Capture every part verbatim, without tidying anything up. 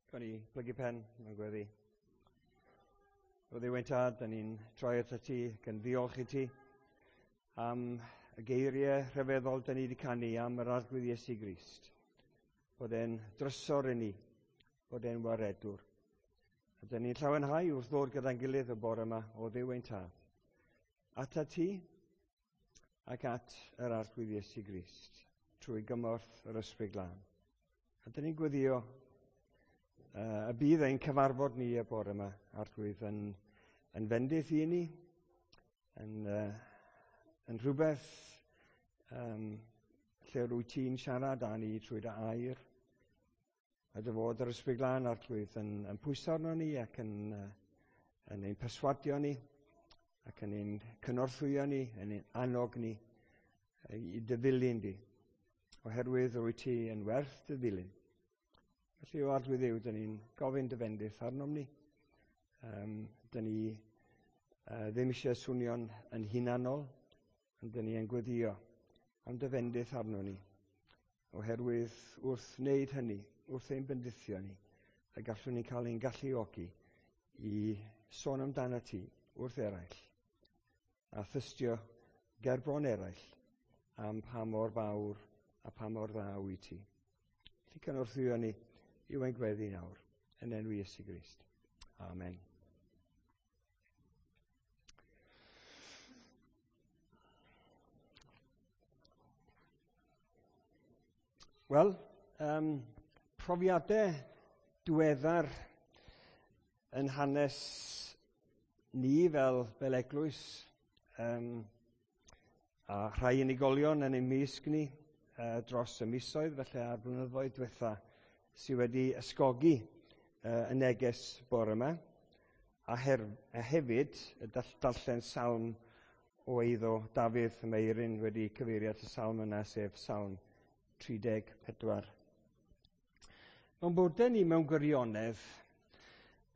Gawn ni blygu pen mewn gweddi. O Dduw ein tad, da ni'n troi atat ti ac yn ddiolch i ti am y geiriau rhyfeddol da ni wedi canu am yr Arglwydd Iesu Grist. Bod e'n drysor i ni, bod e'n waredwr. A da ni'n llawenhau wrth ddod gyda'n gilydd y bore yma o Dduw ein tad. Atat ti ac at yr Arglwydd Iesu Grist, trwy gymorth yr Ysbryd Glân. A da ni'n gweddio uh, y bydd ein cyfarfod ni y bore yma, Arglwydd, yn, yn fendith i ni, yn, uh, yn rhywbeth um, lle rwyt ti'n siarad â ni trwy dy air, a dy fod yr Ysbryd Glân, Arglwydd, yn, yn pwyso arno ni ac yn, uh, yn ein perswadio ni, ac yn ein cynorthwyo ni, yn ein annog ni i dy ddilyn di, oherwydd rwyt ti yn werth dy ddilyn. Felly, o Arglwydd Dduw, dyn ni'n gofyn dy fendith arnom ni. Um, dyn ni uh, ddim eisiau swnio'n yn hunanol, ond dyn ni yn gweddio am dy fendith arno ni. Oherwydd wrth wneud hynny, wrth ein bendithio ni, y gallwn ni cael ein galluogi i sôn amdano ti wrth eraill, a thystio ger bron eraill am pa mor fawr a pa mor dda wyt ti. Felly cynorthwyo ni yw ein gweddi nawr, yn enw Iesu Grist. Amen. Wel, um, profiadau diweddar yn hanes ni fel, fel eglwys, um, a rhai unigolion yn ein mysg ni uh, dros y misoedd, felly a'r blynyddoedd diwetha, sydd wedi ysgogi uh, y neges bore yma, a, her, a hefyd y darllen salm o eiddo Dafydd. Mae Eirin wedi cyfeirio at y salm yna, sef Salm tri deg pedwar. Mae'n bodau ni mewn gwirionedd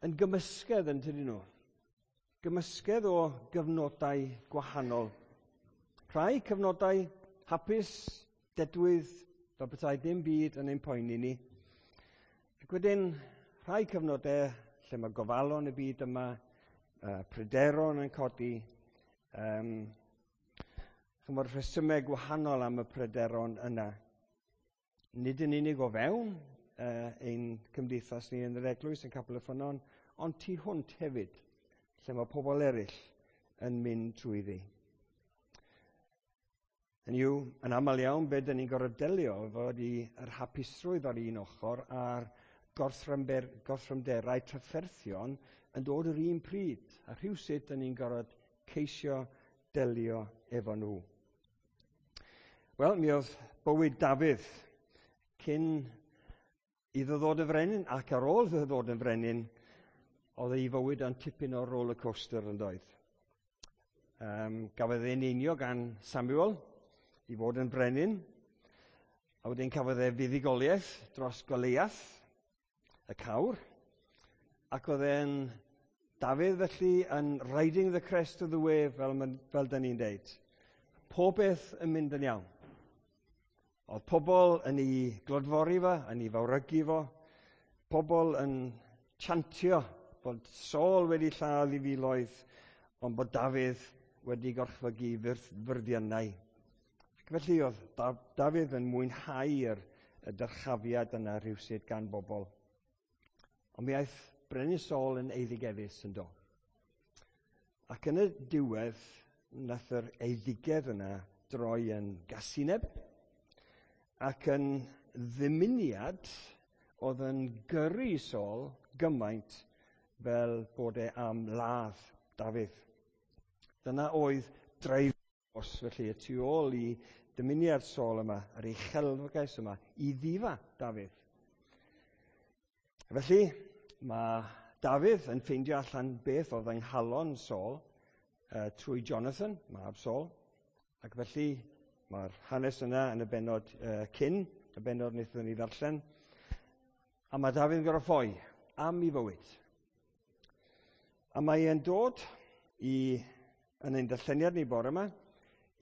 yn gymysgedd yn tydyn nhw. Gymysgedd o gyfnodau gwahanol. Rhai cyfnodau hapus, dedwydd, fel petai dim byd yn ein poeni ni. Ac wedyn rhai cyfnodau lle mae gofalon y byd yma, uh, pryderon yn codi, um, chymod rhesymau gwahanol am y pryderon yna. Nid yn unig o fewn uh, ein cymdeithas ni yn yr eglwys yn Capel y Ffynnon, ond tu hwnt hefyd, lle mae pobl eraill yn mynd trwyddi. Hynny yw, yn aml iawn, be dyn ni'n gorfod delio efo ydi yr hapusrwydd ar un ochr a'r gorthrymderau trafferthion yn dod yr un pryd, a rhywsut dyn ni'n gorfod ceisio delio efo nhw. Wel, mi oedd bywyd Dafydd cyn iddo ddod yn frenin ac ar ôl iddo ddod yn frenin, oedd ei fywyd yn tipyn o roller coaster yn doedd. Um, gafodd ei eneinio gan Samuel i fod yn frenin, a wedyn cafodd e fuddugoliaeth dros Goliath, y cawr, ac oedd e'n Dafydd felly yn riding the crest of the wave, fel, fel dyn ni'n deud. Pob beth yn mynd yn iawn. Oedd pobl yn ei glodfori fo, yn ei fawrygu fo, pobl yn chantio bod Saul wedi lladd ei filoedd, ond bod Dafydd wedi gorchfygu fyrddiannau. Ac felly oedd Dafydd yn mwynhau'r y dyrchafiad yna rhywsut gan bobl. Ond mi aeth Brenin Saul yn eiddigeddus yn do. Ac yn y diwedd, nath yr eiddigedd yna droi yn gasineb ac yn ddymuniad oedd yn gyrru Saul gymaint fel bod e am ladd Dafydd. Dyna oedd dreif os felly y tu ôl i dymuniad Saul yma, yr uchelgais yma, i ddifa Dafydd. Felly, mae Dafydd yn ffeindio allan beth oedd yng nghalon Saul uh, trwy Jonathan, mab Saul, ac felly mae'r hanes yna yn y bennod uh, cyn, y bennod wnaethon ni ddarllen, a mae Dafydd yn gorfod ffoi am ei fywyd. A mae e'n dod i, yn ein darlleniad ni bore yma,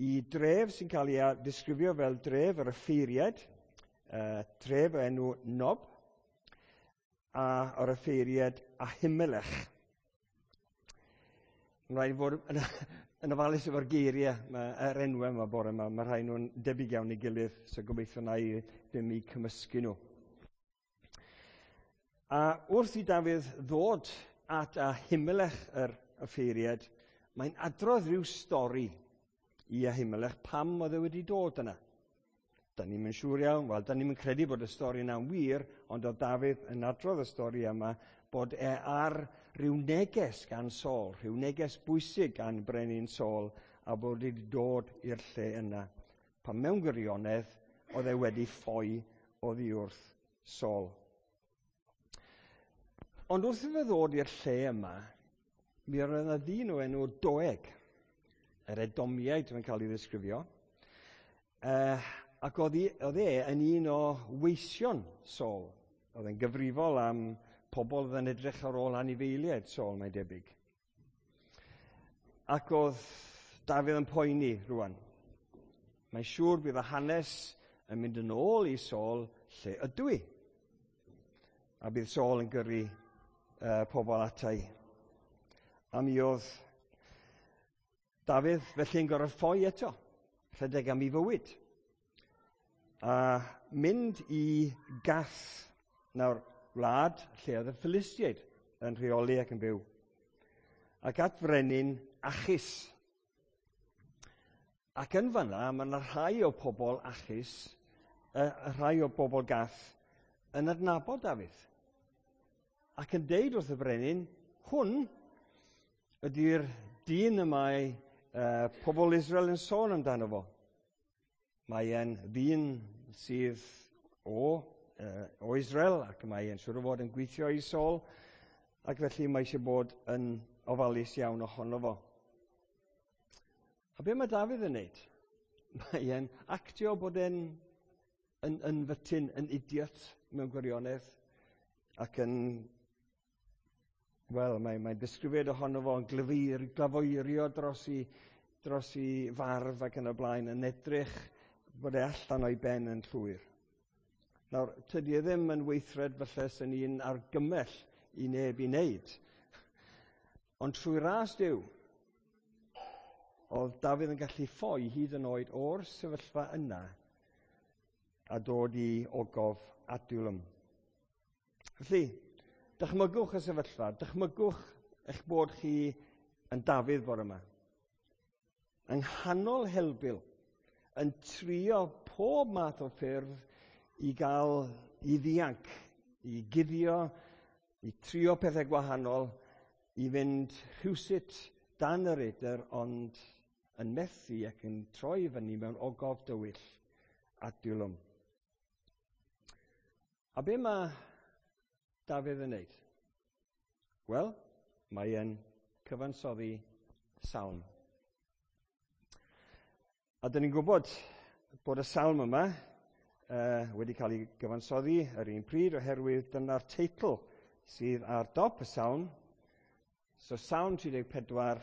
i dref sy'n cael ei ddisgrifio fel dref yr offeiriaid, uh, tref o enw Nob, a yr offeiriad Ahimelech. Mae'n rhaid fod yn, yn ofalus efo'r geiriau, mae, yr enwau yma bore yma, mae rhai nhw'n debyg iawn i gilydd, so gobeithio na i ddim i cymysgu nhw. A wrth i Dafydd ddod at Ahimelech yr offeiriad, mae'n adrodd rhyw stori i Ahimelech pam oedd e wedi dod yna. Da ni'n siŵr iawn, wel, da ni'n credu bod y stori yna'n wir, ond oedd Dafydd yn adrodd y stori yma bod e ar rhyw neges gan Saul, rhyw neges bwysig gan brenin Saul, a bod wedi dod i'r lle yna. Pan mewn gwirionedd, oedd e wedi ffoi oddi wrth Saul. Ond wrth iddo ddod i'r lle yma, mi oedd yna ddyn o enw Doeg, yr Edomiaid mae'n cael ei ddisgrifio, uh, ac oedd, oedd e yn un o weision Saul. Oedd e'n gyfrifol am pobl oedd yn edrych ar ôl anifeiliaid Saul, mae'n debyg. Ac oedd Dafydd yn poeni rwan. Mae'n siŵr bydd y hanes yn mynd yn ôl i Saul lle ydw i. A bydd Saul yn gyrru uh, pobl ata i. A mi oedd Dafydd felly'n gorfod ffoi eto, rhedeg am ei fywyd. A mynd i Gath, nawr wlad lle oedd y Philistiaid yn rheoli ac yn byw. Ac at frenin Achis. Ac yn fanna, mae yna rhai o pobl Achis, uh, rhai o bobl Gath, yn adnabod Dafydd. Ac yn deud wrth y brenin, hwn ydy'r dyn y mae uh, pobl Israel yn sôn amdano fo. Mae e'n ddyn sydd o, uh, o Israel ac mae e'n siŵr o fod yn gweithio i Saul, ac felly mae eisiau bod yn ofalus iawn ohono fo. A be mae Dafydd yn neud? Mae e'n actio bod e'n yn, yn fytyn, yn idiot mewn gwirionedd, ac yn, wel, mae'n mae disgrifiad ohono fo yn glyfeir, glafoerio dros i, dros i farf ac yn y blaen, yn edrych bod e allan o'i ben yn llwyr. Nawr, tydi e ddim yn weithred falle sy'n un argymell i neb i wneud. Ond trwy ras Duw, oedd Dafydd yn gallu ffoi hyd yn oed o'r sefyllfa yna a dod i ogof Adullam. Felly, dychmygwch y sefyllfa, dychmygwch eich bod chi yn Dafydd bore yma. Yng nghanol helbul, yn trio pob math o ffyrdd i gael i ddianc, i guddio, i trio pethau gwahanol, i fynd rhywsut dan yr edr, ond yn methu ac yn troi fyny mewn ogof dywyll Adullam. A be mae Dafydd yn wneud? Wel, mae e'n cyfansoddi salm. A dyn ni'n gwybod bod y salm yma uh, wedi cael ei gyfansoddi yr un pryd oherwydd dyna'r teitl sydd ar dop y salm. So Salm tri deg pedwar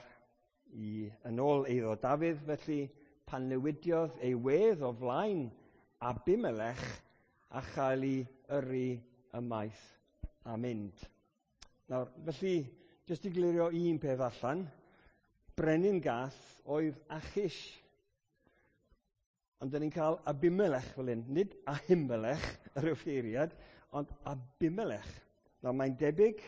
i yn ôl eiddo Dafydd, felly pan newidiodd ei wedd o flaen Abimelech a chael ei yrru ymaith a mynd. Nawr, felly, jyst i glirio un peth allan, brenin Gath oedd Achish. Ond dyn ni'n cael Abimelech fel hyn, nid Ahimelech, yr offeiriad, ond Abimelech. Nawr, mae'n debyg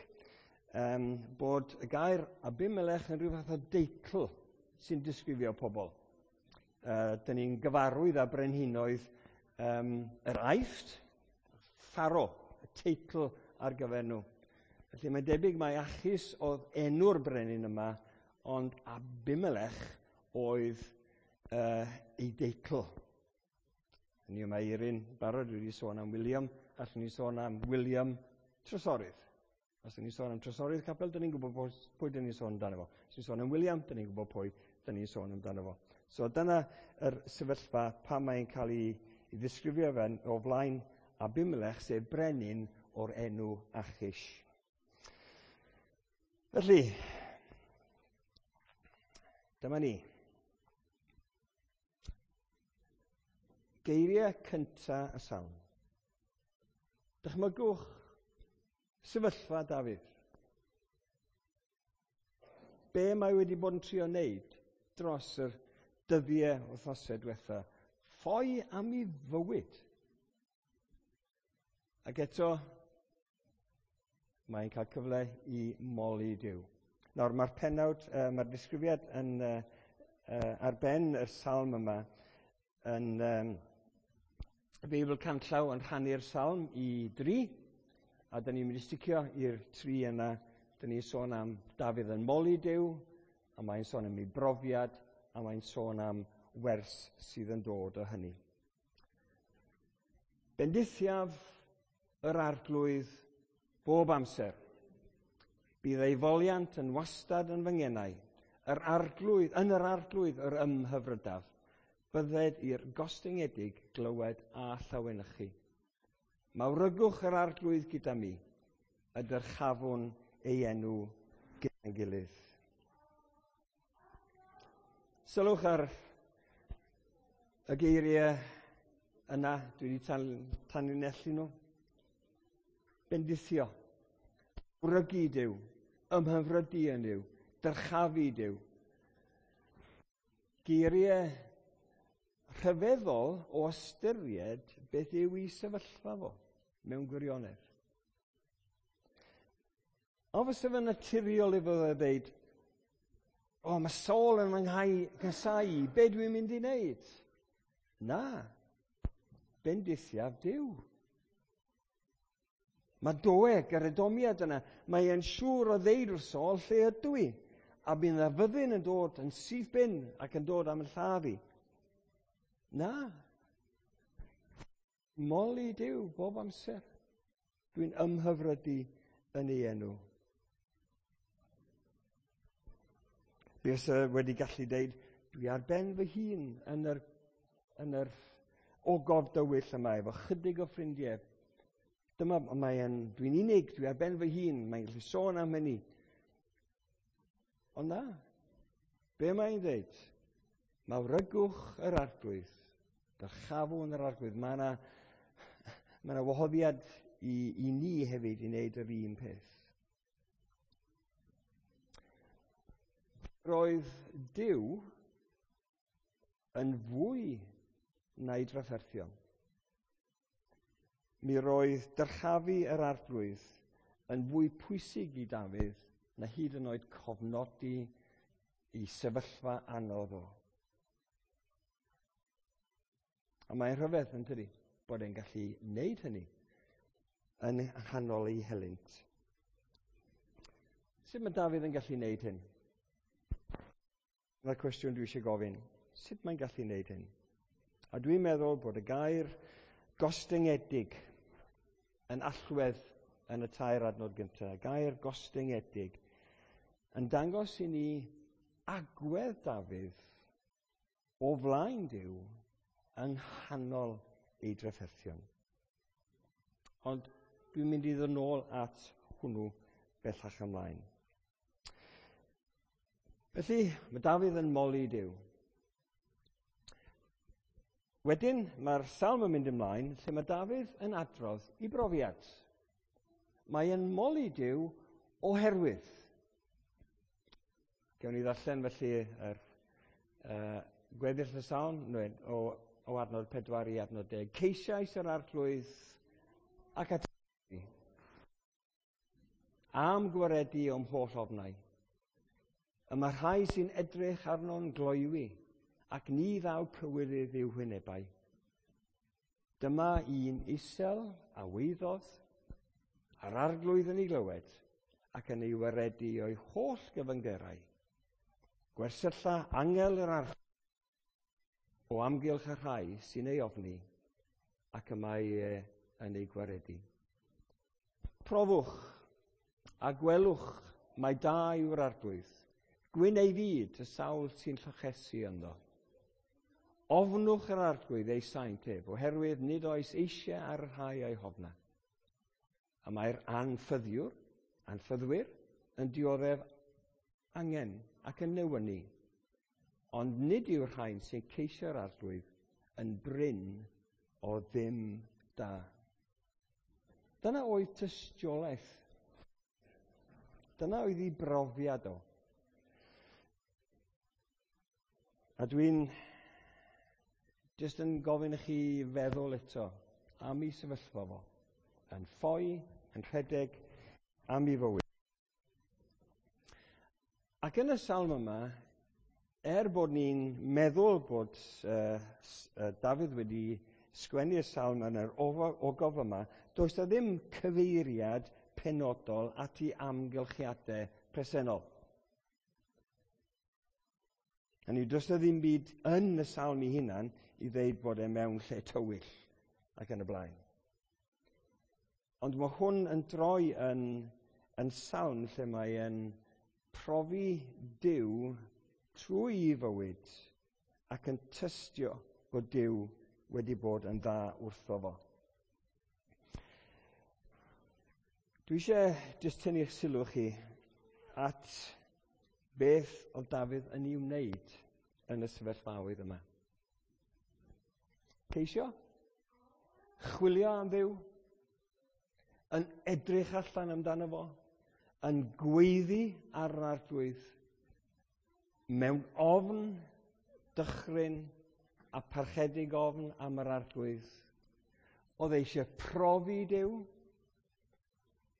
um, bod y gair Abimelech yn rhyw fath o deitl sy'n disgrifio pobl. Uh, dyn ni'n gyfarwydd â brenhinoedd um, yr Aifft, Pharaoh, y teitl ar gyfer nhw. Felly mae'n debyg mai Achis oedd enw'r brenin yma, ond Abimelech oedd uh, ei deitl. Hynny yw, mae Eirin barod wedi sôn am William, allwn ni sôn am William Trysorydd. Os dyn ni'n sôn am Trysorydd Capel, dyn ni'n gwybod pwy dyn ni'n sôn amdano fo. Os ni'n sôn am William, dyn ni'n gwybod pwy dyn ni'n sôn amdano fo. So dyna yr sefyllfa pan mae'n cael ei, ei ddisgrifio fe'n o flaen Abimelech, sef brenin o'r enw Achish. Felly, dyma ni. Geiriau cynta y salm. Dychmygwch Sefyllfa Dafydd. Be mae wedi bod yn trio wneud dros yr dyddiau wythnosau diwetha? Ffoi am ei fywyd. Ac eto, mae'n cael cyfle i moli Duw. Nawr, mae'r pennawd, uh, mae'r disgrifiad yn, uh, uh, ar ben y salm yma yn um, y Beibl Canllaw yn rhannu'r salm i dri, a dyn ni'n mynd i sticio i'r tri yna. Dyn ni'n sôn am Dafydd yn moli Duw, a mae'n sôn am ei brofiad, a mae'n sôn am wers sydd yn dod o hynny. Bendithiaf yr Arglwydd bob amser. Bydd ei foliant yn wastad yn fy ngenau. Yr Arglwydd, yn yr Arglwydd yr ymhyfrydaf. Bydded i'r gostyngedig glywed a llawenychu. Mawrygwch yr Arglwydd gyda mi, y dyrchafwn ei enw gyda'n gilydd. Sylwch ar y geiriau yna, dwi wedi tan, tanlinellu nhw. Bendithio, mawrygu Duw, ymhyfrydu yn Duw, dyrchafu Duw. Geiriau rhyfeddol o ystyried beth yw ei sefyllfa fo mewn gwirionedd. Ond fysa fe'n naturiol i fod e ddeud, o, mae Saul yn fy nghasáu i, be dwi'n mynd i wneud? Na, bendithiaf Duw. Mae Doeg, yr Edomiad yna, mae e'n siŵr o ddeud wrth Saul lle ydw i, a bydd yna fyddin yn dod yn syth bin ac yn dod am y lladd i. Na, moli Duw bob amser. Dwi'n ymhyfrydu yn ei enw. Buasai wedi gallu deud, dwi ar ben fy hun yn yr, yn yr ogof dywyll yma efo chydig o ffrindiau. Dyma, mae'n, dwi'n unig, dwi ar ben fy hun, mae'n gallu sôn am hynny. Ond na, be mae'n dweud? Mawrygwch yr Arglwydd, dyrchafwn yr Arglwydd. Mae yna, mae yna wahoddiad i, i ni hefyd i wneud yr un peth. Roedd Duw yn fwy na'i drafferthion. Mi roedd dyrchafu yr Arglwydd yn fwy pwysig i Dafydd na hyd yn oed cofnodi i sefyllfa anodd o. A mae'n rhyfedd yn tydi bod e'n gallu wneud hynny yn nghanol ei helynt. Sut mae Dafydd yn gallu wneud hyn? Dyna'r cwestiwn dwi eisiau gofyn. Sut mae'n gallu wneud hyn? A dwi'n meddwl bod y gair gostyngedig yn allwedd yn y tair adnod gyntaf. Gair gostyngedig yn dangos i ni agwedd Dafydd o flaen Duw yng nghanol ei drafferthion. Ond dwi'n mynd i ddod nôl at hwnnw bellach ymlaen. Felly, mae Dafydd yn moli Duw. Wedyn, mae'r salm yn mynd ymlaen lle mae Dafydd yn adrodd i brofiad. Mae yn moli Duw oherwydd. Gewn ni ddarllen felly yr uh, gweddill y salm o, o adnod pedwar i adnod deg. Ceisiais yr Arglwydd ac ateb am gwaredu o'm holl ofnau. Y mae rhai sy'n edrych arno'n gloywi, ac ni ddaw cywilydd i'w hwynebau. Dyma un isel a weiddodd, a'r Arglwydd yn ei glywed, ac yn ei waredu o'i holl gyfyngderau. Gwersylla angel yr Arglwydd o amgylch y rhai sy'n ei ofni, ac y mae e yn ei gwaredu. Profwch a gwelwch mai da yw'r Arglwydd. Gwyn ei fyd y sawl sy'n llochesu ynddo. Ofnwch yr Arglwydd ei saint ef, oherwydd nid oes eisiau ar y rhai o'i hofna. A mae'r anffyddiwr, anffyddwyr, yn dioddef angen ac yn newynu. Ond nid yw'r rhain sy'n ceisio'r Arglwydd yn brin o ddim da. Dyna oedd tystiolaeth Dyna oedd ei brofiad o. A dwi'n jyst yn gofyn i chi feddwl eto am ei sefyllfa fo. Yn ffoi, yn rhedeg, am ei fywyd. Ac yn y salm yma, er bod ni'n meddwl bod uh, Dafydd wedi sgwennu'r salm yn yr ogof yma, does na ddim cyfeiriad penodol at ei amgylchiadau presennol. Hynny yw, does na ddim byd yn y salm ei hunan i ddeud bod e mewn lle tywyll ac yn y blaen. Ond mae hwn yn droi yn, yn salm lle mae e'n profi Duw trwy ei fywyd ac yn tystio bod Duw wedi bod yn dda wrtho fo. Dwi eisiau jyst tynnu'ch sylw chi at beth oedd Dafydd yn ei wneud yn y sefyllfaoedd yma. Ceisio? Chwilio am Dduw? Yn edrych allan amdano fo? Yn gweiddi ar yr Arglwydd? Mewn ofn, dychryn a parchedig ofn am yr Arglwydd? Oedd e eisiau profi Duw?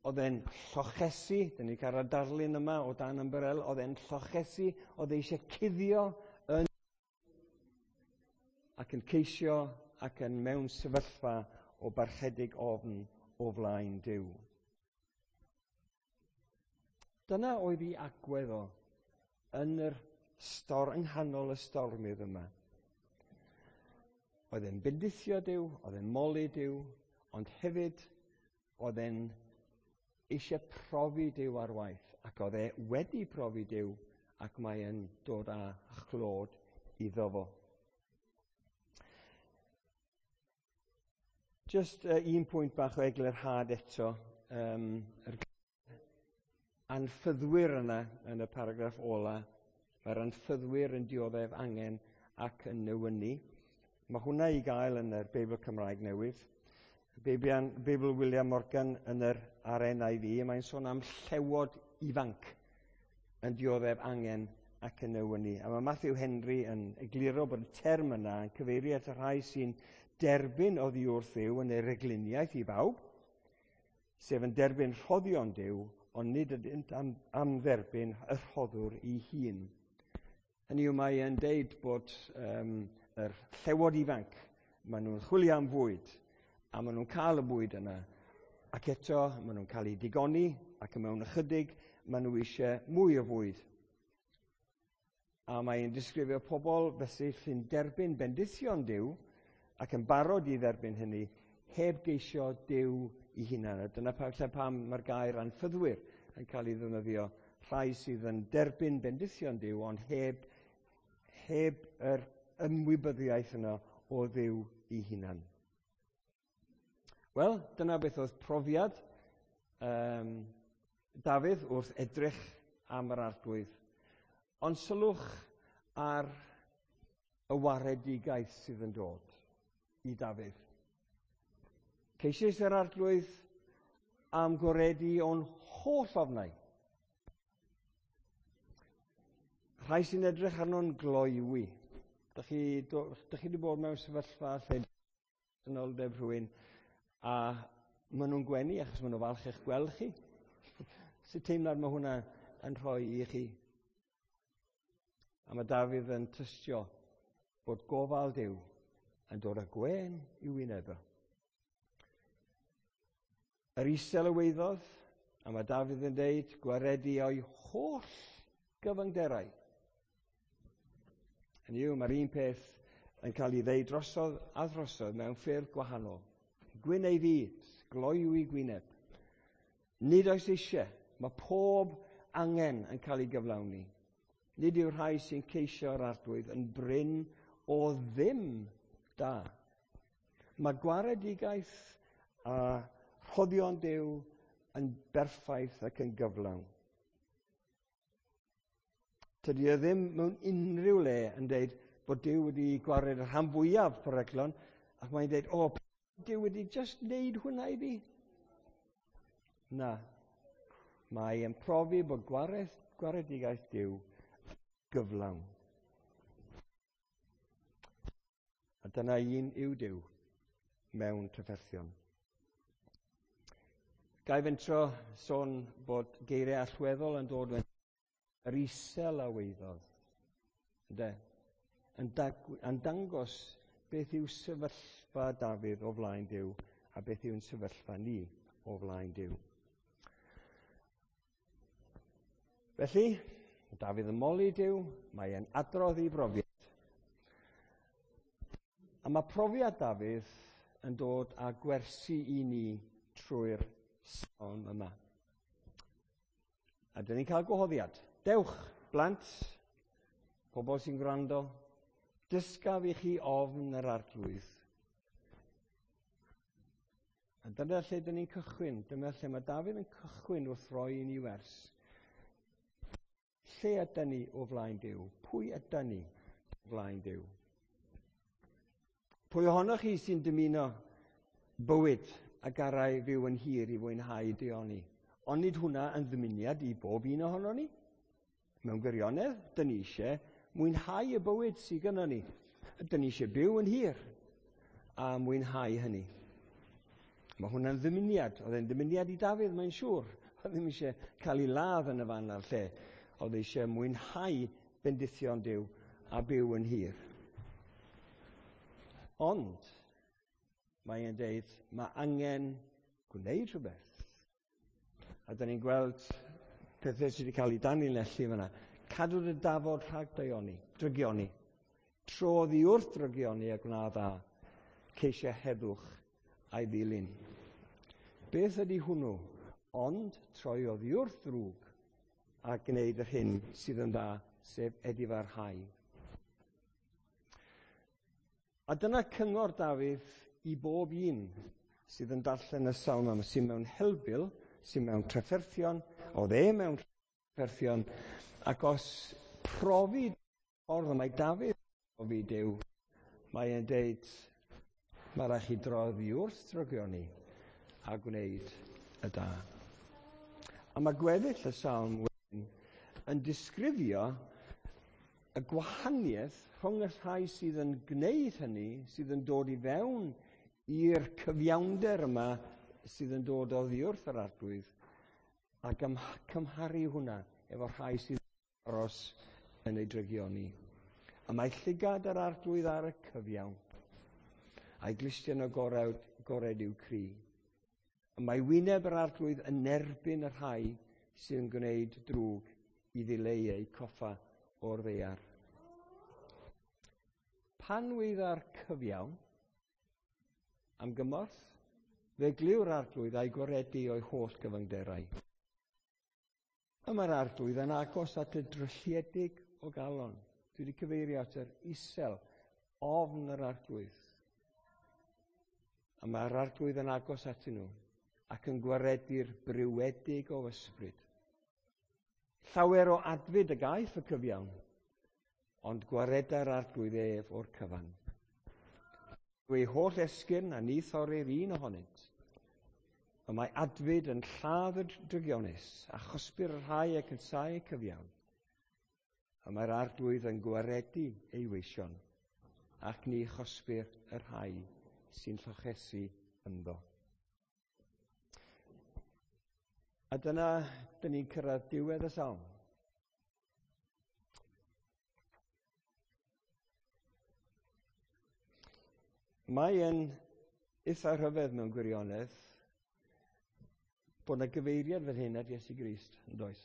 Oedd e'n llochesu, dyn ni cael y darlun yma o dan ymbarel, oedd e'n llochesu, oedd e eisiau cuddio yn ac yn ceisio ac yn mewn sefyllfa o barchedig ofn o flaen Duw. Dyna oedd ei agwedd o yn yr stor, yng nghanol y stormydd yma. Oedd e'n bendithio Duw, oedd e'n moli Duw, ond hefyd oedd e'n eisiau profi Duw ar waith, ac oedd e wedi profi Duw, ac mae e'n dod â chlod iddo fo. Just uh, un pwynt bach o eglurhad eto. Um, yr anffyddwyr yna yn y paragraff ola, mae'r anffyddwyr yn dioddef angen ac yn newynu. Mae hwnna i gael yn yr Beibl Cymraeg newydd. Beibl, Beibl William Morgan yn yr R N I V, mae'n sôn am llewod ifanc yn dioddef angen ac yn newynu. A mae Matthew Henry yn egluro bod y term yna yn cyfeirio at y rhai sy'n derbyn oddi wrth Dduw yn ei regluniaeth i bawb, sef yn derbyn rhoddion Duw, ond nid ydynt am, am dderbyn y rhoddwr ei hun. Hynny yw, mae e'n deud bod um, yr llewod ifanc, maen nhw'n chwilio am fwyd, a maen nhw'n cael y bwyd yna, ac eto maen nhw'n cael eu digoni, ac mewn ychydig maen nhw eisiau mwy o fwyd. A mae'n disgrifio pobl felly sy'n derbyn bendithion Duw, ac yn barod i dderbyn hynny, heb geisio Duw i hunan. A dyna lle pam mae'r gair anffyddwyr yn cael ei ddefnyddio, rhai sydd yn derbyn bendithion Duw, ond heb, heb yr ymwybyddiaeth yna o Dduw i hunan. Wel, dyna beth oedd profiad um, Dafydd wrth edrych am yr Arglwydd. Ond sylwch ar y waredigaeth sydd yn dod i Dafydd. Ceisiais yr Arglwydd am goredu o'n holl ofnau. Rhai sy'n edrych arno'n gloywi. Dych chi, dych chi wedi bod mewn sefyllfa lle dynoldeb rhywun a maen nhw'n gwenu achos maen nhw falch eich gweld chi. Sut teimlad mae hwnna yn rhoi i chi? A mae Dafydd yn tystio bod gofal Duw yn dod â gwên i'w wyneb o. Yr isel y weiddodd, a mae Dafydd yn deud, gwaredu o'i holl gyfyngderau. Hynny yw, mae'r un peth yn cael ei ddeud drosodd a drosodd mewn ffyrdd gwahanol. Gwyn ei fyd, gloyw i gwyneb. Nid oes eisiau, mae pob angen yn cael ei gyflawni. Nid yw'r rhai sy'n ceisio'r Arglwydd yn brin o ddim da. Mae gwaredigaeth a rhoddion Duw yn berffaith ac yn gyflawn. Tydi e ddim mewn unrhyw le yn deud bod Duw wedi gwared y rhan fwyaf peryglon, ac mae'n deud, o, Duw wedi just wneud hwnna i fi. Na. Mae e'n profi bod gwareth, gwaredigaeth Duw gyflawn. A dyna un yw Duw mewn trafferthion. Ga i fentro sôn bod geiriau allweddol yn dod yn yr isel a weiddodd. Ynde? Yn, yn dangos beth yw sefyllfa Dafydd o flaen Duw a beth yw'n sefyllfa ni o flaen Duw. Felly, Dafydd yn moli Duw, mae e'n adrodd ei brofiad. A mae profiad Dafydd yn dod â gwersi i ni trwy'r salm yma. A dyn ni'n cael gwahoddiad. Dewch, blant, pobl sy'n gwrando, dysgaf i chi ofn yr Arglwydd. A dyna lle dyn ni'n cychwyn. Dyna lle mae Dafydd yn cychwyn wrth roi i ni wers. Lle ydyn ni o flaen Duw? Pwy ydyn ni o flaen Duw? Pwy ohonoch chi sy'n dymuno bywyd a garai fyw yn hir i fwynhau daioni? Ond nid hwnna yn ddymuniad i bob un ohono ni. Mewn gwirionedd, dyn ni eisiau mwynhau y bywyd sydd gynnon ni. Dyn ni eisiau byw yn hir a mwynhau hynny. Mae hwnna'n ddymuniad. Oedd e'n ddymuniad i Dafydd, mae'n siŵr. Oedd ddim eisiau cael ei ladd yn y fan a'r lle. Oedd eisiau mwynhau bendithion Duw a byw yn hir. Ond, mae e'n deud, mae angen gwneud rhywbeth. A dyn ni'n gweld pethau sydd wedi cael ei danlinellu fyna. Cadw dy dafod rhag daioni, drygioni. Tro oddi wrth drygioni a gwna dda. Ceisio heddwch a'i ddilyn. Beth ydy hwnnw? Ond troi oddi wrth ddrwg a gwneud yr hyn sydd yn dda, sef edifarhau. A dyna cyngor Dafydd i bob un sydd yn darllen y salm yma, sydd mewn helbul, sydd mewn trafferthion, oedd e mewn trafferthion, ac os profi ffordd y mae Dafydd profi Duw, mae e'n deud, mae rhaid chi droi oddi wrth drygioni a gwneud y da. A mae gweddill y salm wedyn yn disgrifio y gwahaniaeth rhwng y rhai sydd yn gwneud hynny, sydd yn dod i fewn i'r cyfiawnder yma sydd yn dod oddi wrth yr Arglwydd, a cymharu hwnna efo rhai sydd yn aros yn ei drygioni. A mae llygad yr Arglwydd ar y cyfiawn, a'i glustiau'n agored, agored i'w cri. A mae wyneb yr Arglwydd yn erbyn y rhai sydd yn gwneud drwg i ddileu eu coffa o'r ddaear. Pan weidda'r cyfiawn am gymorth, fe glyw'r Arglwydd a'i gwaredu o'i holl gyfyngderau. A mae'r Arglwydd yn agos at y drylliedig o galon. Dwi wedi cyfeirio at yr isel, ofn yr Arglwydd. A mae'r Arglwydd yn agos atyn nhw ac yn gwaredu'r briwedig o ysbryd. Llawer o adfyd y gaiff y cyfiawn, ond gwareda'r Arglwydd ef o'r cyfan. Ei holl esgyrn a ni thorir un ohonynt. Y mae adfyd yn lladd y drygionus a chosbi'r rhai ac yn casáu y cyfiawn. Y mae'r Arglwydd yn gwaredu ei weision ac ni chosbir y rhai sy'n llochesu ynddo. A dyna, dyn ni'n cyrraedd diwedd y salm. Mae e'n eitha rhyfedd mewn gwirionedd bod yna gyfeiriad fel hyn at Iesu Grist, yn does?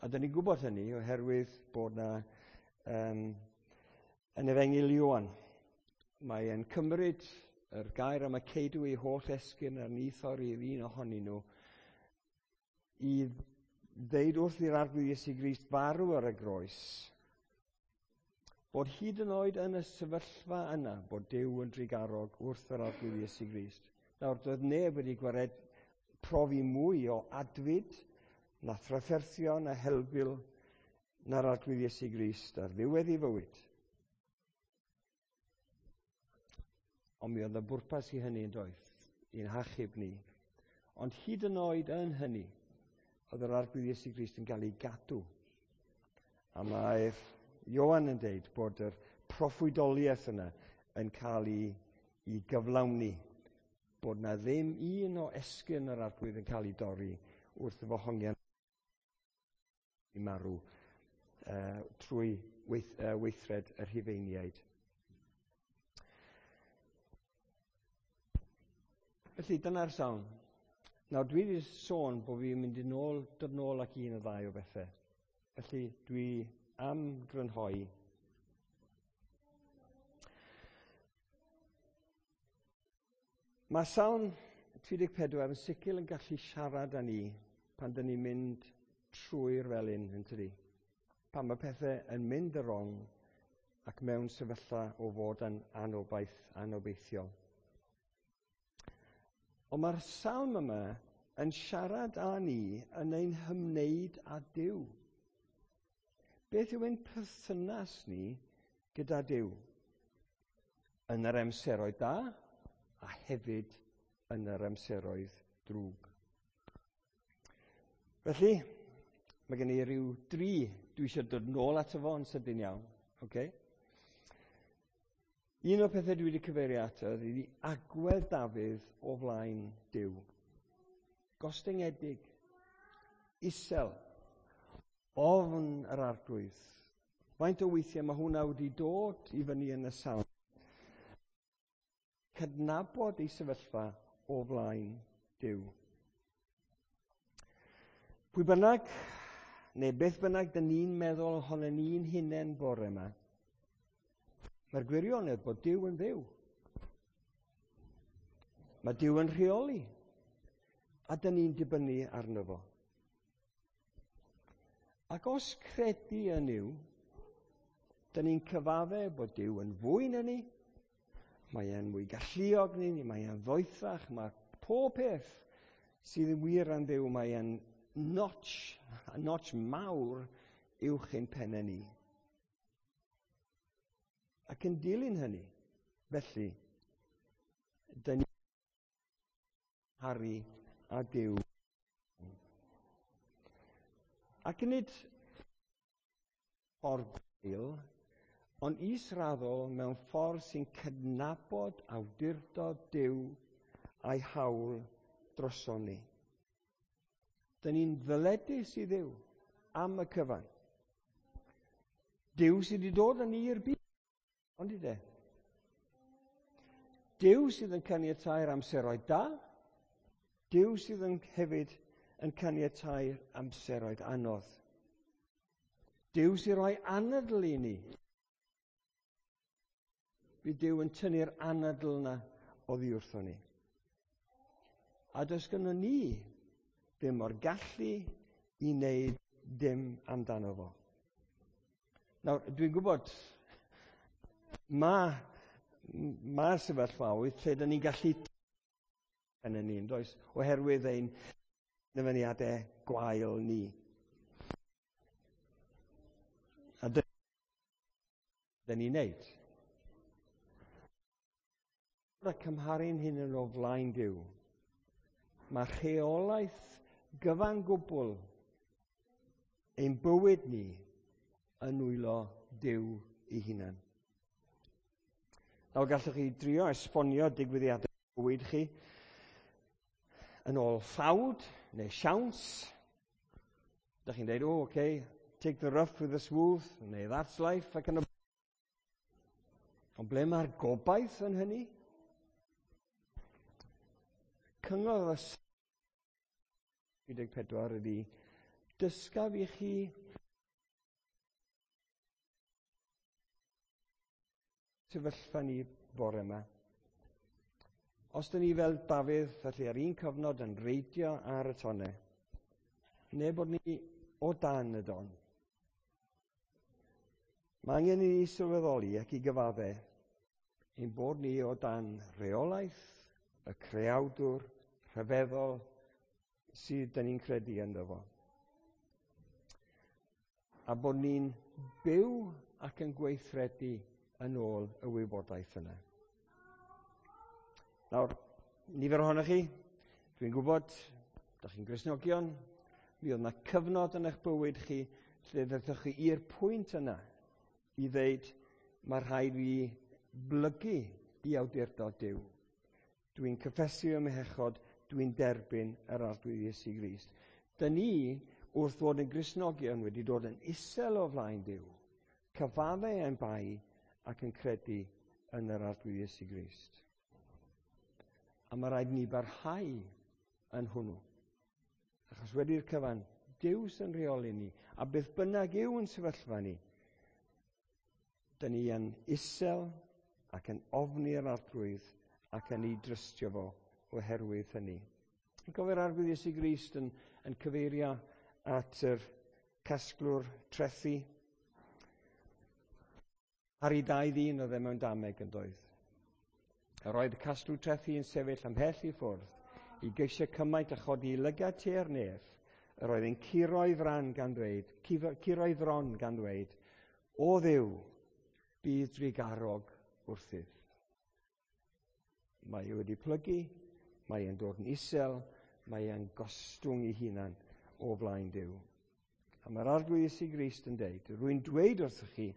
A dyn ni'n gwybod hynny oherwydd bod yna um, yn Efengyl Ioan, mae e'n cymryd yr gair am y ceidw ei holl esgyrn a'r ni thorrir un ohonyn nhw i ddeud wrth i'r Arglwydd Iesu Grist farw ar y groes, bod hyd yn oed yn y sefyllfa yna, bod Duw yn drugarog wrth yr Arglwydd Iesu Grist. Nawr, doedd neb wedi gwared profi mwy o adfyd, na thrafferthion, na helbul, na'r Arglwydd Iesu Grist ar ddiwedd ei fywyd. Ond mi oedd y bwrpas i hynny yn doedd, i'n hachub ni. Ond hyd yn oed yn hynny, oedd yr Arglwydd Iesu Grist yn cael ei gadw. A mae Ioan yn deud bod yr proffwydoliaeth yna yn cael ei, ei gyflawni, bod na ddim un o esgyrn yr Arglwydd yn cael ei dorri wrth iddo hongian i marw uh, trwy weith, uh, weithred y Rhufeiniaid. Felly dyna'r salm. Nawr dwi wedi sôn bod fi'n mynd i nôl, dod nôl ac un o ddau o bethau. Felly dwi am grynhoi. Mae Salm tri deg pedwar yn sicr yn gallu siarad â ni pan dyn ni'n mynd trwy'r felin, yn tydi? Pan mae pethau yn mynd y wrong ac mewn sefyllfa o fod yn anobaith, anobeithiol. Ond mae'r salm yma yn siarad â ni yn ein hymwneud â Duw. Beth yw ein perthynas ni gyda Duw? Yn yr amseroedd da a hefyd yn yr amseroedd drwg. Felly, mae gen i ryw dri dwi eisiau dod nôl ato fo yn sydyn iawn. Okay? Un o'r pethau dwi wedi cyfeirio ato ydy agwedd Dafydd o flaen Duw. Gostyngedig, isel, ofn yr Arglwydd. Faint o weithiau mae hwnna wedi dod i fyny yn y salm. Cydnabod ei sefyllfa o flaen Duw. Pwy bynnag, neu beth bynnag dyn ni'n meddwl ohono ni'n hunain bore yma, mae'r gwirionedd bod Duw yn Dduw. Mae Duw yn rheoli, a dyn ni'n dibynnu arno fo. Ac os credu yn Nuw, dyn ni'n cyfadde bod Duw yn fwy na ni, mae e'n mwy galluog ni, mae e'n ddoethach, mae pob peth sydd yn wir am Dduw, mae e'n notch, notch mawr uwch ein pennau ni. Ac yn dilyn hynny, felly, dyn ni haru a Duw. Ac nid ffordd gwael, ond israddol mewn ffordd sy'n cydnabod awdurdod Duw a'i hawl droson ni. Dyn ni'n ddyledus i Dduw am y cyfan. Duw sydd wedi dod â ni i'r byd, ond i de. Duw sydd yn caniatáu'r amseroedd da, Duw sydd yn hefyd yn caniatáu'r amseroedd anodd. Duw sy'n rhoi anadl i ni. Bydd Duw yn tynnu'r anadl yna oddi wrtho ni. A does gynnon ni ddim o'r gallu i wneud dim amdano fo. Nawr, dwi'n gwybod, mae ma sefyllfaoedd lle dyn ni'n gallu yn y ni'n does, oherwydd ein dyfyniadau gwael ni. A dyn ni'n neud. A cymharu'n hunain o flaen Duw, mae rheolaeth gyfan gwbl ein bywyd ni yn nwylo Duw ei hunan. Nawr gallwch chi drio esbonio digwyddiadau bywyd chi yn ôl ffawd neu siawns. Dach chi'n dweud, oh, okay, take the rough with the smooth, neu that's life, ac yn y... Ond ble mae'r gobaith yn hynny? Cyngor y tri deg pedwar ydy, dysgaf i chi sefyllfa ni bore yma. Os dyn ni fel Dafydd, felly ar un cyfnod yn reidio ar y tonnau, neu bod ni o dan y don. Mae angen i ni sylweddoli ac i gyfadde ein bod ni o dan reolaeth y creawdwr rhyfeddol sydd dyn ni'n credu ynddo fo. A bod ni'n byw ac yn gweithredu yn ôl y wybodaeth yna. Nawr, nifer ohonoch chi, dwi'n gwybod, dach chi'n Gristnogion, Mi oedd yna cyfnod yn eich bywyd chi lle ddethoch chi i'r pwynt yna i ddeud, mae rhaid fi blygu i awdurdod Duw. Dwi'n cyffesu ym mhechod, dwi'n derbyn yr Arglwydd Iesu Grist. Dyn ni, wrth fod yn Gristnogion, wedi dod yn isel o flaen Duw, cyfaddau ein bai ac yn credu yn yr Arglwydd Iesu Grist. A mae rhaid ni barhau yn hwnnw. Achos wedi'r cyfan, Duw sy'n rheoli ni, a beth bynnag yw yn sefyllfa ni, dyn ni yn isel ac yn ofni'r Arglwydd ac yn ei drystio fo oherwydd hynny. Yn gofio'r Arglwydd Iesu Grist yn, yn cyfeirio at yr casglwr trethi. Ar ei dau ddyn oedd e mewn dameg yn doedd. Yr oedd y casglwr trethi yn sefyll ymhell i ffwrdd i geisio cymaint a chodi i lygad tua'r nef. Yr oedd yn curo'i fran gan ddweud, curo'i fron gan ddweud, O Dduw, bydd drugarog wrthyf. Mae e wedi plygu, mae e'n dod yn isel, mae e'n gostwng ei hunan o flaen Duw. A mae'r Arglwydd Iesu Grist yn deud, rwy'n dweud wrthych chi,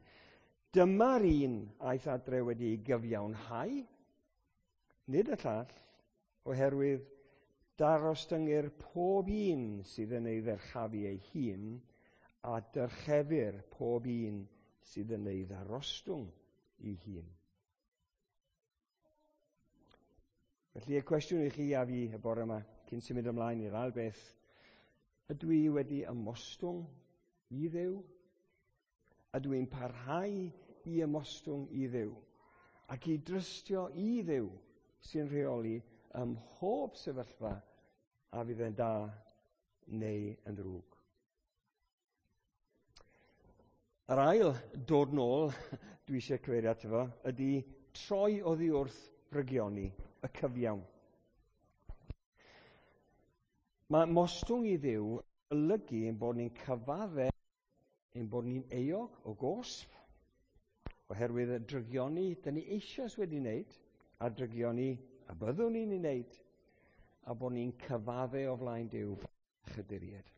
dyma'r un aeth adre wedi ei gyfiawnhau, nid y llall, oherwydd darostyngir pob un sydd yn ei ddyrchafu ei hun, a dyrchefir pob un sydd yn ei ddarostwng ei hun. Felly y cwestiwn i chi a fi y bore yma, cyn symud ymlaen i'r ail beth, ydw i wedi ymostwng i Dduw? Ydw i'n parhau i ymostwng i Dduw? Ac i drystio i Dduw sy'n rheoli ym mhob sefyllfa a fydd yn da neu yn ddrwg. Yr ail dod nôl, dwi eisiau cyfeirio ato fo, ydy troi oddi wrth drygioni, y cyfiawn. Mae mostwng i Dduw olygu ein bod ni'n cyfadde, ein bod ni'n euog o gosb, oherwydd y drygioni dyn ni eisoes wedi wneud, a drygioni a byddwn ni'n ei wneud, a bod ni'n cyfadde o flaen Duw chydiried.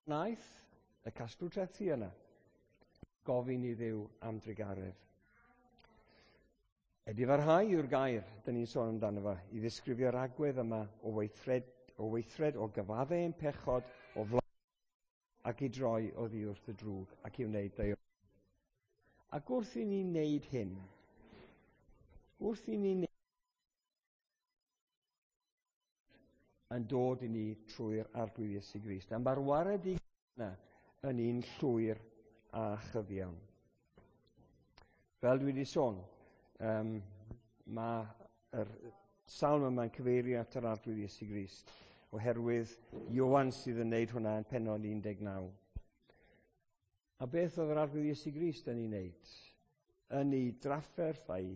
Wnaeth y casglwr trethi yna gofyn i Dduw am drugaredd. Edifarhau yw'r gair dyn ni'n sôn amdano fo i ddisgrifio'r agwedd yma o weithred, o weithred o gyfadde ein pechod o flaen ac i droi oddi wrth y drwg ac i wneud daioni. Ac wrth i ni wneud hyn, wrth i ni wneud yn dod i ni trwy'r Arglwydd Iesu Grist. A mae'r waredigaeth yna yn un llwyr a chyfiawn. Fel dwi wedi sôn, um, mae'r salm yma'n cyfeirio at yr Arglwydd Iesu Grist, oherwydd Ioan sydd yn wneud hwnna yn pennod un deg naw. A beth oedd yr Arglwydd Iesu Grist yn ei wneud? Yn ei drafferth a'i,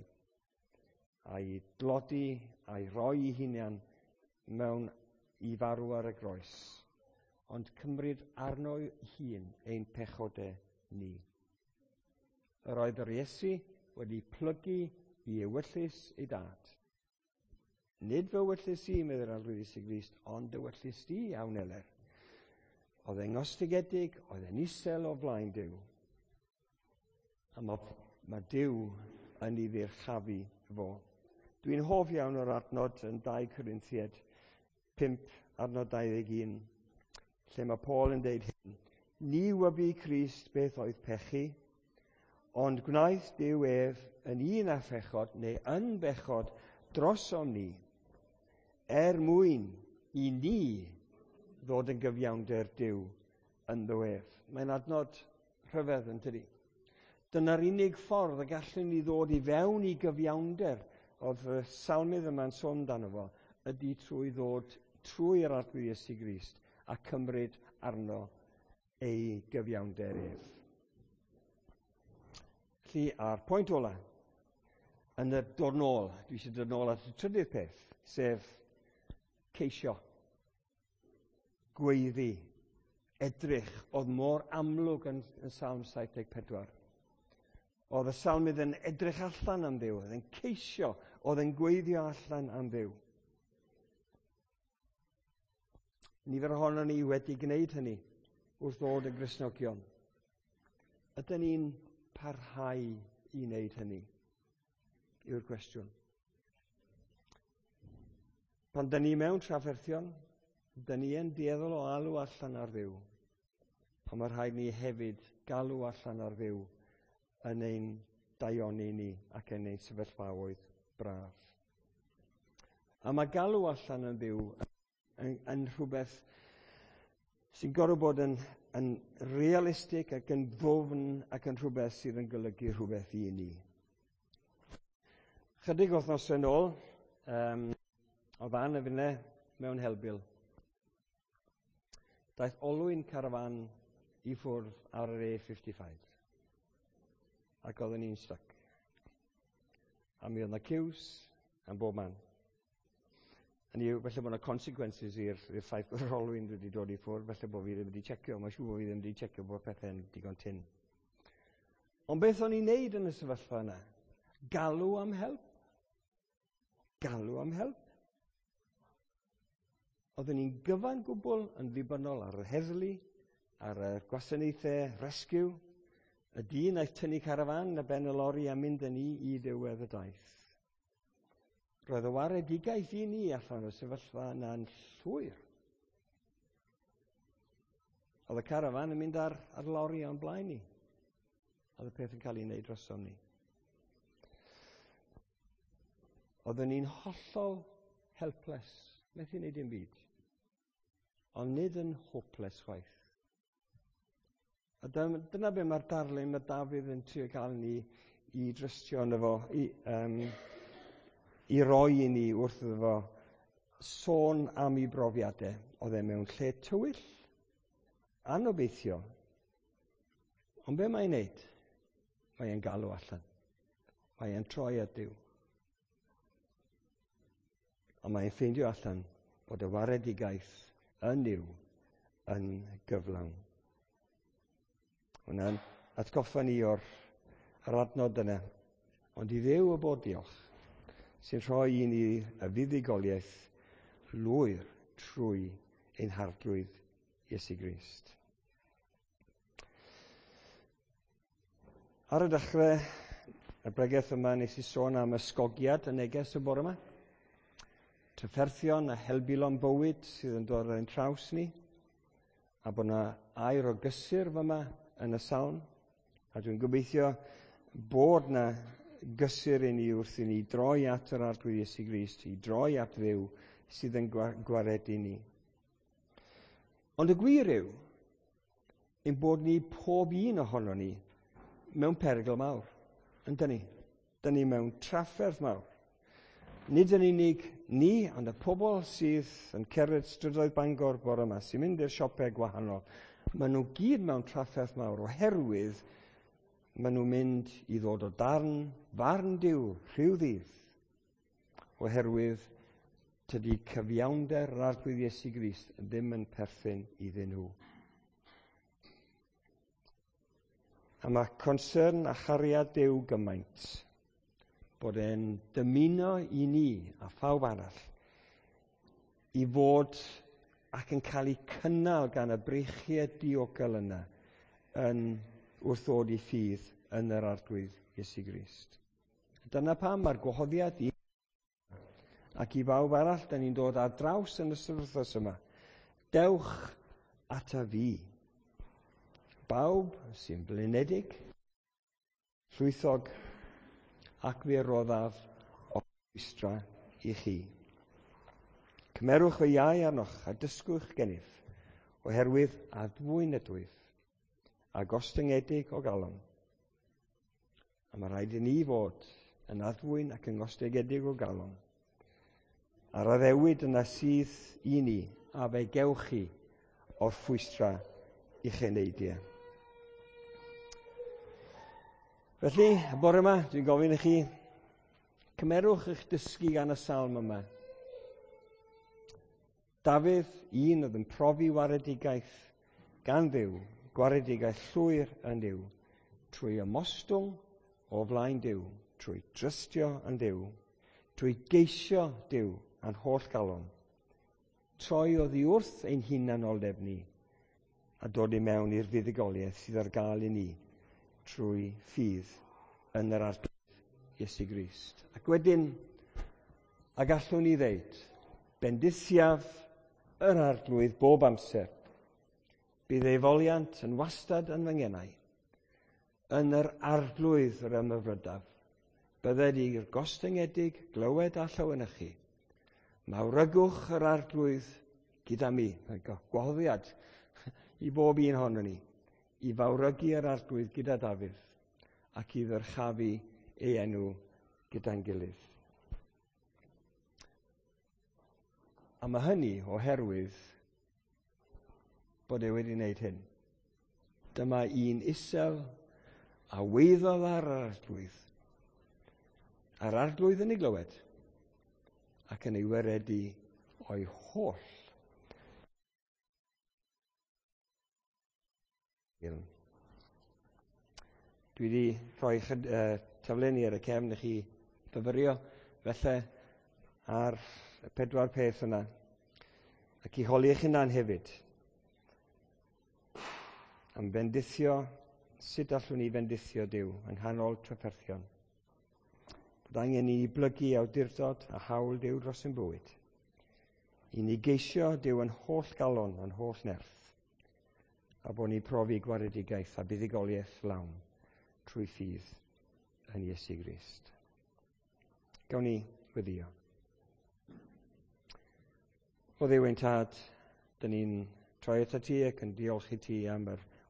a'i dlodi a'i roi ei hunan mewn i farw ar y groes, ond cymryd arno hun ein pechodau ni. Yr oedd yr Iesu wedi plygu i ewyllys ei dad. Nid fy ewyllys i, meddai'r Arglwydd Iesu Grist, ond ewyllys di, iawn eler. Oedd e'n ngostigedig, oedd e'n isel o flaen Duw. A mae, mae Duw yn ei ddyrchafu fo. Dwi'n hoff iawn o'r adnod yn dau Corinthiaid pump adnod dau ddeg un, lle mae Paul yn deud hyn. Ni wybu Crist beth oedd pechu, ond gwnaeth Duw ef yn un â phechod neu yn bechod drosom ni, er mwyn i ni ddod yn gyfiawnder Duw ynddo ef. Mae'n adnod rhyfedd yn tydi. Dyna'r unig ffordd y gallwn ni ddod i fewn i gyfiawnder oedd y salmydd yma'n sôn amdano fo, ydy trwy ddod trwy'r Arglwydd Iesu Grist a cymryd arno ei gyfiawnder ef. Felly, a'r pwynt ola, yn y dod nôl, dwi eisiau dod nôl at y trydydd peth, sef ceisio, gweiddi, edrych, oedd mor amlwg yn, yn Salm saith deg pedwar. Oedd y salmydd yn edrych allan am Dduw, oedd yn ceisio, oedd yn gweiddio allan am Dduw. Nifer ohonon ni wedi gwneud hynny wrth ddod yn Gristnogion. Ydyn ni'n parhau i wneud hynny? Yw'r cwestiwn. Pan dyn ni mewn trafferthion, dyn ni yn dueddol o alw allan ar Dduw. Ond mae rhaid ni hefyd galw allan ar Dduw yn ein daioni ni ac yn ein sefyllfaoedd braf. A mae galw allan yn Dduw yn, yn rhywbeth sy'n gorfod bod yn, yn realistig ac yn ddwfn ac yn rhywbeth sydd yn golygu rhywbeth i ni. Chydig wythnosau yn ôl, um, oedd Ann a finne mewn helbul. Daeth olwyn carafan i ffwrdd ar yr A fifty-five. Ac oedden ni'n stuck. A mi oedd 'na queues yn bob man. Hynny yw, felly bod yna consequences i'r i'r ffaith bod yr olwyn wedi dod i ffwrdd, felly bod fi ddim wedi checio. Mae'n siŵr bod fi ddim wedi checio bod pethau'n digon tynn. Ond beth o'n i'n neud yn y sefyllfa yna? Galw am help. Galw am help. Oedden ni'n gyfan gwbl yn ddibynnol ar yr heddlu, ar y gwasanaethau rescue, y dyn aeth tynnu carafan a ben y lori a mynd â ni i ddiwedd y daith. Roedd y waredigaeth i ni allan o'r sefyllfa yna'n llwyr. Oedd y carafan yn mynd ar, ar lori o'n blaen ni. Oedd y peth yn cael ei wneud drosom ni. Oedden ni'n hollol helpless, methu wneud dim byd. Ond nid yn hopeless chwaith. A dyna be mae'r darlun mae Dafydd yn trio cael ni i drystio ynddo fo, i, um, i roi i ni wrth iddo fo sôn am ei brofiadau. Oedd e mewn lle tywyll, anobeithio. Ond be mae'n neud? Mae'n galw allan. Mae'n troi at Duw. A mae'n ffeindio allan bod y waredigaeth yn Nuw yn gyflawn. Hwna'n atgoffa ni o'r yr adnod yna. Ond i Dduw y bod diolch, sy'n rhoi i ni y fuddugoliaeth lwyr trwy ein Harglwydd Iesu Grist. Ar y dechrau, y bregeth yma nes i sôn am ysgogiad y neges y bore yma. Trafferthion a helbulon bywyd sydd yn dod ar ein traws ni, a bod yna air o gysur fyma yn y salm, a dwi'n gobeithio bod yna gysur i ni wrth i ni droi at yr Arglwydd Iesu Grist, i droi at Dduw sydd yn gwaredu ni. Ond y gwir yw, ein bod ni pob un ohono ni mewn perygl mawr, yndyn ni? Dyn ni mewn trafferth mawr. Nid yn unig ni, ond y pobl sydd yn cerdded strydoedd Bangor bore yma, sy'n mynd i'r siopau gwahanol, maen nhw gyd mewn trafferth mawr oherwydd maen nhw'n mynd i ddod o darn farn Duw rhyw ddydd, oherwydd tydi cyfiawnder yr Arglwydd Iesu Grist ddim yn perthyn iddyn nhw. A mae concern a chariad Duw gymaint bod e'n dymuno i ni a phawb arall i fod ac yn cael eu cynnal gan y breichiau diogel yna yn wrth ddod i ffydd yn yr Arglwydd Iesu Grist. Dyna pam mae'r gwahoddiad i ac i bawb arall, da ni'n dod ar draws yn y wythnos yma. Dewch ata fi. Bawb sy'n blinedig, llwythog, ac fe roddaf orffwystra i chi. Cymerwch fy iau arnoch a dysgwch gennyf, oherwydd addfwyn ydwyf, a gostyngedig o galon. A mae rhaid i ni fod yn addfwyn ac yn gostyngedig o galon. A'r addewid yna sydd i ni, a fe gewch chi orffwystra i'ch eneidiau. Felly, y bore yma, dwi'n gofyn i chi, cymerwch eich dysgu gan y salm yma. Dafydd, un oedd yn profi waredigaeth gan Dduw, gwaredigaeth llwyr yn Dduw, trwy ymostwng o flaen Duw, trwy drystio yn Dduw, trwy geisio Duw a'n holl galon, Troi oddi wrth ein hunanoldeb ni a dod i mewn i'r fuddugoliaeth sydd ar gael i ni trwy ffydd yn yr Arglwydd Iesu Grist. Ac wedyn, a gallwn ni ddeud, bendithiaf yr Arglwydd bob amser. Bydd ei foliant yn wastad yn fy ngenau. Yn yr Arglwydd yr ymhyfrydaf. Bydded i'r gostyngedig glywed a llawenychu. Mawrygwch yr Arglwydd gyda mi. Gwahoddiad i bob un ohonon ni. I fawrygu yr Arglwydd gyda Dafydd ac i ddyrchafu ei enw gyda'n gilydd. A mae hynny oherwydd bod e wedi wneud hyn. Dyma un isel a weiddodd ar yr Arglwydd. A'r Arglwydd yn ei glywed ac yn ei waredu o'i holl. Dwi wedi rhoi chyd, uh, taflenni ar y cefn i chi fyfyrio, felly ar y pedwar peth yna. Ac i holi eich hunan hefyd. Am fendithio, sut allwn ni fendithio Duw yng nghanol trafferthion? Bod angen i ni blygu awdurdod a hawl Duw dros ein bywyd. I ni geisio Duw yn holl galon, yn holl nerth. A bod ni'n profi gwaredigaeth a buddugoliaeth lawn trwy ffydd yn Iesu Grist. Gawn ni weddïo. O Dduw ein Tad, dyn ni'n troi atat ti ac yn diolch i ti am yr